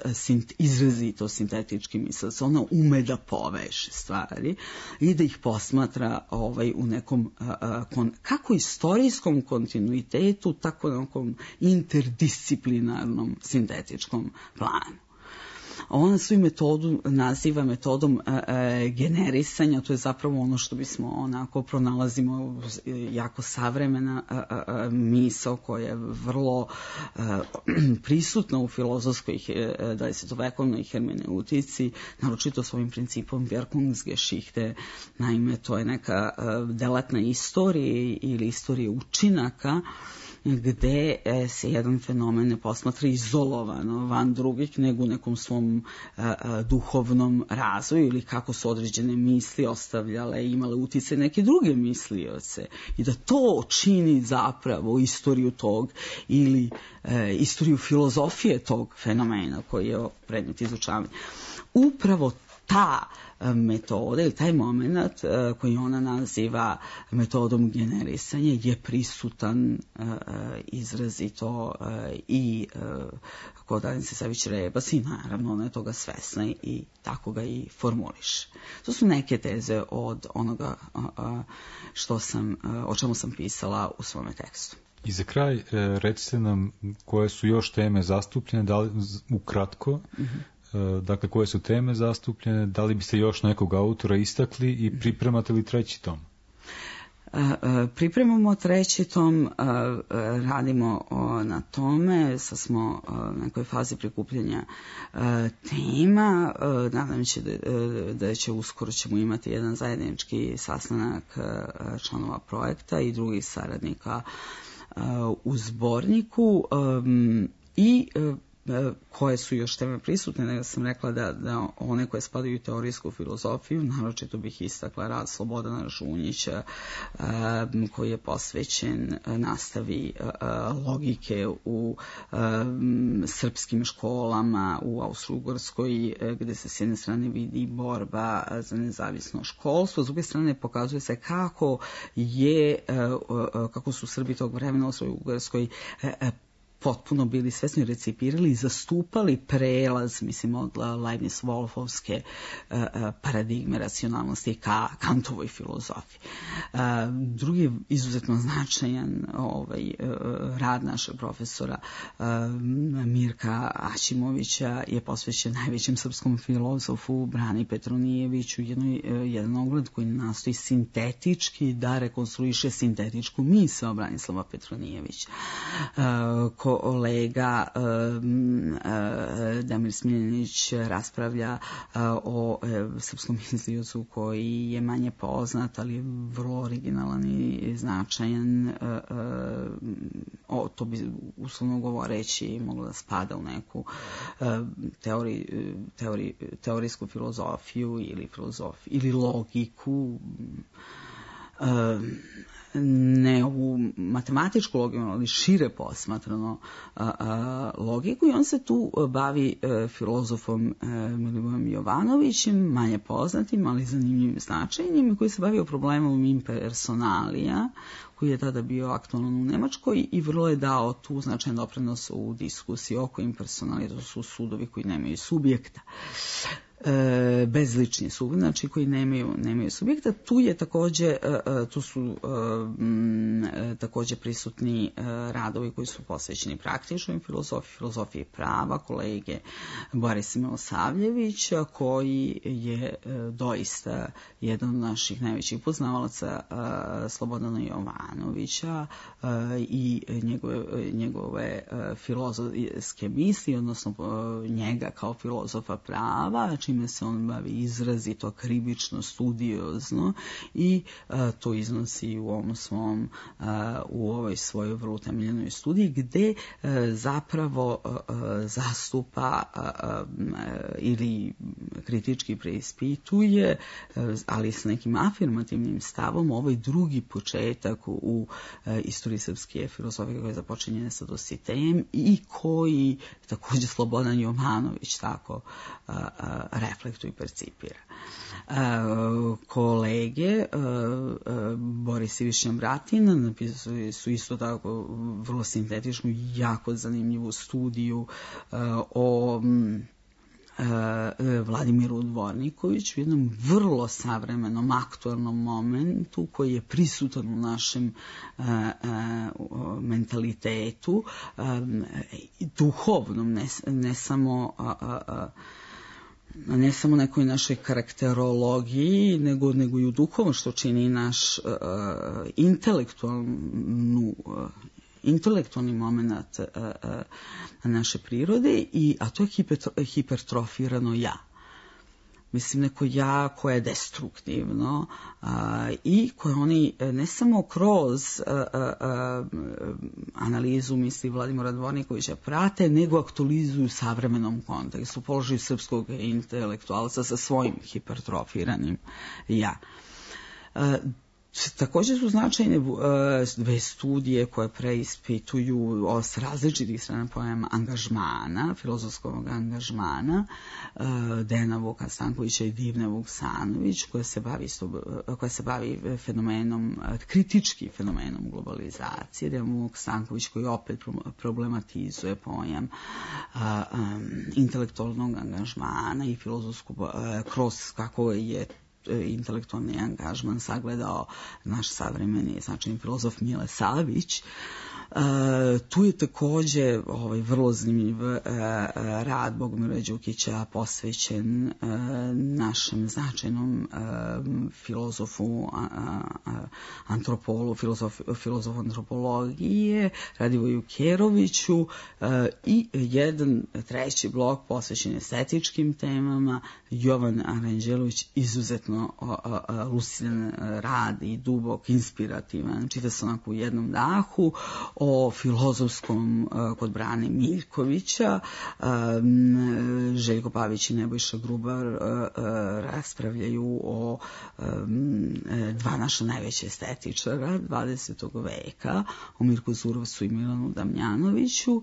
izrazito sintetički mislilac, ona ume da poveže stvari i da ih posmatra ovaj, u nekom kon, kako istorijskom kontinuitetu, tako na nekom interdisciplinarnom sintetičkom planu. Ona svoju metodu naziva metodom e, e, generisanja, to je zapravo ono što bismo onako pronalazimo jako savremena e, e, misao koja je vrlo e, prisutna u filozofskoj e, dvadesetovekovnoj hermeneutici, naročito svojim principom Wirkungsgeschichte. Naime, to je neka e, delatna istorija ili istorija učinaka gde se jedan fenomen ne posmatra izolovano van drugih, nego u nekom svom a, a, duhovnom razvoju ili kako su određene misli ostavljale i imale utice neke druge mislioce i da to čini zapravo istoriju tog ili e, istoriju filozofije tog fenomena koji je predmet izučavanja. Upravo ta metoda ili taj moment koji ona naziva metodom generisanja je prisutan izrazito i kod Danice Savić-Rebas i naravno ona je toga svesna i tako ga i formuliše. To su neke teze od onoga što sam, o čemu sam pisala u svome tekstu. I za kraj, recite nam koje su još teme zastupljene, da li, ukratko, mm-hmm. dakle koje su teme zastupljene, da li biste još nekog autora istakli i pripremate li treći tom? Pripremamo treći tom, radimo na tome, sad smo u nekoj fazi prikupljanja tema, nadam se da će uskoro ćemo imati jedan zajednički sastanak članova projekta i drugih saradnika u zborniku i koje su još teme prisutne, nego sam rekla da, da one koje spadaju u teorijsku filozofiju, naročito bih istakla rad Slobodana Žunjića um, koji je posvećen nastavi uh, logike u um, srpskim školama u Austro-Ugarskoj, gde se s jedne strane vidi borba za nezavisno školstvo, s druge strane pokazuje se kako je, uh, uh, kako su Srbi tog vremena u Austro-Ugarskoj uh, potpuno bili svesni, recipirali i zastupali prelaz, mislim, od Leibniz-Wolfovske uh, paradigme racionalnosti ka Kantovoj filozofiji. Uh, drugi izuzetno značajan ovaj, uh, rad našeg profesora uh, Mirka Aćimovića je posvećen najvećem srpskom filozofu Brani Petronijeviću, jednoj, uh, jedan ogled koji nastoji sintetički da rekonstruiše sintetičku misao Branislava Petronijevića. Uh, kolega um, uh, Damir Smiljanić raspravlja uh, o uh, srpskom misliocu koji je manje poznat, ali je vrlo originalan i značajan. Uh, uh, o, to bi uslovno govoreći moglo da spada u neku uh, teori, teori, teorijsku filozofiju ili, filozofiju, ili logiku. Uh, ne u matematičku logiku, ali šire posmatrano a, a, logiku i on se tu bavi a, filozofom a, Milivojem Jovanovićem, manje poznatim, ali zanimljivim značajnim, koji se bavio problemom impersonalija, koji je tada bio aktualan u Nemačkoj i vrlo je dao tu značajan doprinos u diskusiji oko impersonalija, to su sudovi koji nemaju subjekta. E, bezlični su, znači koji nemaju, nemaju subjekta. Tu je takođe, tu su m, takođe prisutni radovi koji su posvećeni praktičnoj filozofiji, filozofiji prava, kolege Boris Milosavljević, koji je doista jedan od naših najvećih poznavalaca Slobodana Jovanovića i njegove, njegove filozofske misli, odnosno njega kao filozofa prava, čime se on bavi izrazito krivično, studiozno i a, to iznosi u ovom svom, a, u ovoj svojoj vrlo utemeljenoj studiji, gde a, zapravo a, a, zastupa a, a, ili kritički preispituje, a, ali s nekim afirmativnim stavom, ovaj drugi početak u, u a, istoriji srpske filozofije koja započinje sa Dositejem i koji takođe Slobodan Jovanović tako a, a, reflektuje i percipira. E, kolege e, Boris i Višnja Bratin napisali su isto tako vrlo sintetičnu, jako zanimljivu studiju e, o Vladimiru Dvornikoviću, u jednom vrlo savremenom, aktualnom momentu koji je prisutan u našem uh, uh, mentalitetu, uh, duhovnom, ne, ne samo uh, uh, ne samo nekoj našoj karakterologiji, nego, nego i u duhovom, što čini naš uh, intelektualnu uh, intelektualni moment uh, uh, naše prirode, i, a to je hiper, hipertrofirano ja. Mislim, neko ja koje je destruktivno uh, i koje oni ne samo kroz uh, uh, analizu misli Vladimira Dvornikovića prate, nego aktualizuju savremenom kontekstu, položaju srpskog intelektualca sa svojim hipertrofiranim ja. Uh, Također su značajne dve studije koje preispituju s različitih strana pojam angažmana, filozofskog angažmana, Dejana Vuka Stankovića i Divne Vuksanović, koja se bavi, koja se bavi fenomenom, kritički fenomenom globalizacije. Dejan Vuk Stanković koji opet problematizuje pojam intelektualnog angažmana i filozofsku, kroz kako je intelektualni angažman sagledao naš savremeni značajni filozof Mile Savić. Uh, tu je također ovaj, vrlo zanimljiv uh, rad Bogomira Đukića posvećen uh, našem značajnom uh, filozofu, uh, uh, antropolu, filozof, filozofu antropologije, Radivoju Keroviću uh, i jedan treći blok posvećen estetičkim temama, Jovan Aranđelović, izuzetno uh, uh, lucidan rad i dubok, inspirativan, čita se onako u jednom dahu, o filozofskom uh, kod Brane Miljkovića. um, Željko Pavić i Nebojša Grubar uh, uh, raspravljaju o um, dva naša najveća estetičara dvadesetog veka, o Mirku Zurovcu i Milanu Damjanoviću, uh,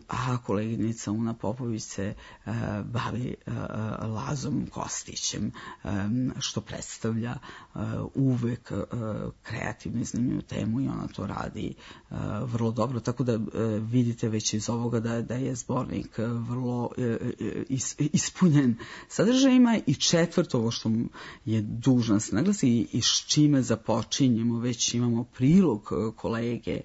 a koleginica Una Popović se uh, bavi uh, Lazom Kostićem, um, što predstavlja uh, uvek uh, kreativnu i zanimljivu temu i ona to radi Uh, vrlo dobro, tako da uh, vidite već iz ovoga da, da je zbornik uh, vrlo uh, is, ispunjen sadržajima. I četvrto, ovo što je dužno se naglasi i, i s čime započinjemo, već imamo prilog uh, kolege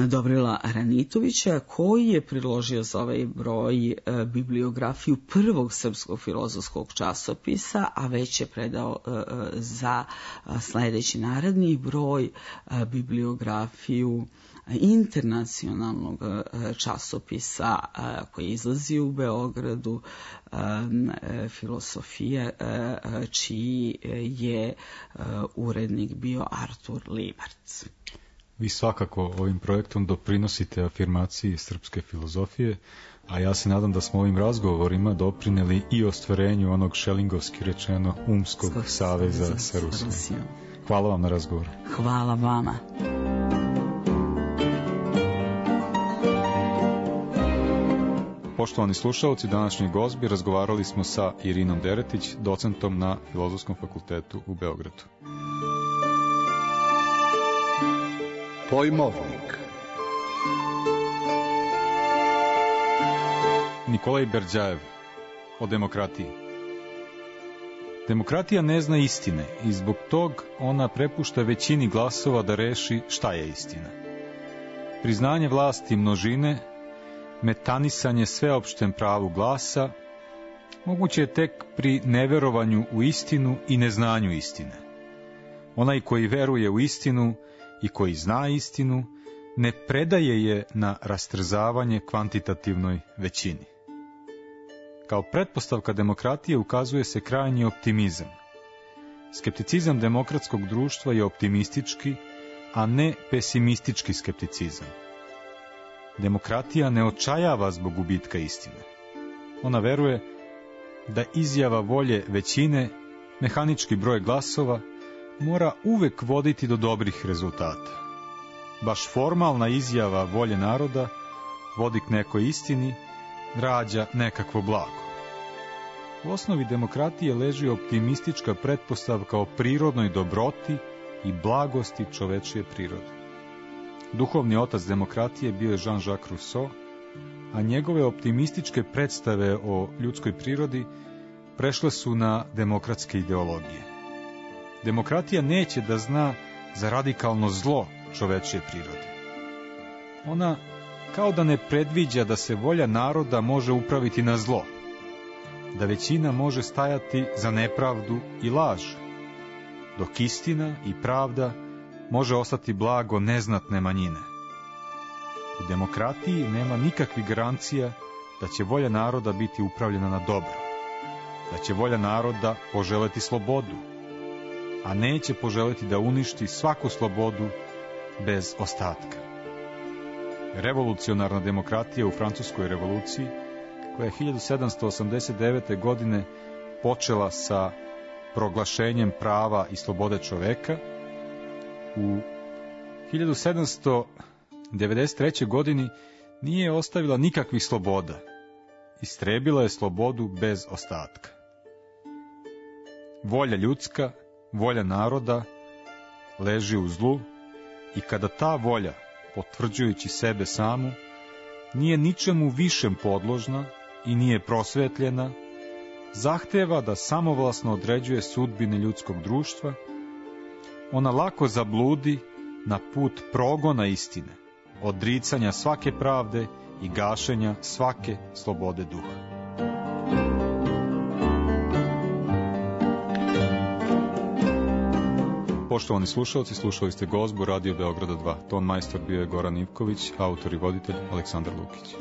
Dobrila Ranitovića, koji je priložio za ovaj broj e, bibliografiju prvog srpskog filozofskog časopisa, a već je predao e, za sledeći naredni broj e, bibliografiju internacionalnog e, časopisa e, koji izlazi u Beogradu, e, e, filosofije, e, čiji je e, urednik bio Artur Libarc. Vi svakako ovim projektom doprinosite afirmaciji srpske filozofije, a ja se nadam da smo ovim razgovorima doprineli i ostvarenju onog šelingovski rečeno umskog Skog saveza sa Rusijom. Hvala vam na razgovor. Hvala vama. Poštovani slušalci, današnji gozbi razgovarali smo sa Irinom Deretić, docentom na Filozofskom fakultetu u Beogradu. Pojmovnik. Nikolaj Berdjajev o demokratiji. Demokratija ne zna istine i zbog tog ona prepušta većini glasova da reši šta je istina. Priznanje vlasti množine, metanisanje sveopštem pravu glasa, moguće je tek pri neverovanju u istinu i neznanju istine. Onaj koji veruje u istinu i koji zna istinu, ne predaje je na rastrzavanje kvantitativnoj većini. Kao pretpostavka demokratije ukazuje se krajnji optimizam. Skepticizam demokratskog društva je optimistički, a ne pesimistički skepticizam. Demokratija ne očajava zbog gubitka istine. Ona veruje da izjava volje većine, mehanički broj glasova, mora uvek voditi do dobrih rezultata. Baš formalna izjava volje naroda vodi k nekoj istini, rađa nekakvo blago. U osnovi demokratije leži optimistička pretpostavka o prirodnoj dobroti i blagosti čovečije prirode. Duhovni otac demokratije bio je Jean-Jacques Rousseau, a njegove optimističke predstave o ljudskoj prirodi prešle su na demokratske ideologije. Demokratija neće da zna za radikalno zlo čovečije prirode. Ona kao da ne predviđa da se volja naroda može upraviti na zlo, da većina može stajati za nepravdu i laž, dok istina i pravda može ostati blago neznatne manjine. U demokratiji nema nikakvih garancija da će volja naroda biti upravljena na dobro, da će volja naroda poželeti slobodu, a neće poželeti da uništi svaku slobodu bez ostatka. Revolucionarna demokratija u Francuskoj revoluciji, koja je hiljadu sedamsto osamdeset devete. godine počela sa proglašenjem prava i slobode čoveka, u hiljadu sedamsto devedeset trećoj. godini nije ostavila nikakvih sloboda. Istrebila je slobodu bez ostatka. Volja ljudska, volja naroda, leži u zlu i kada ta volja, potvrđujući sebe samu, nije ničemu višem podložna i nije prosvetljena, zahteva da samovlasno određuje sudbine ljudskog društva, ona lako zabludi na put progona istine, odricanja svake pravde i gašenja svake slobode duha. Poštovani slušalci, slušali ste Gozbu Radio Beograda dva. Ton majstor bio je Goran Ivković, autor i voditelj Aleksandar Lukić.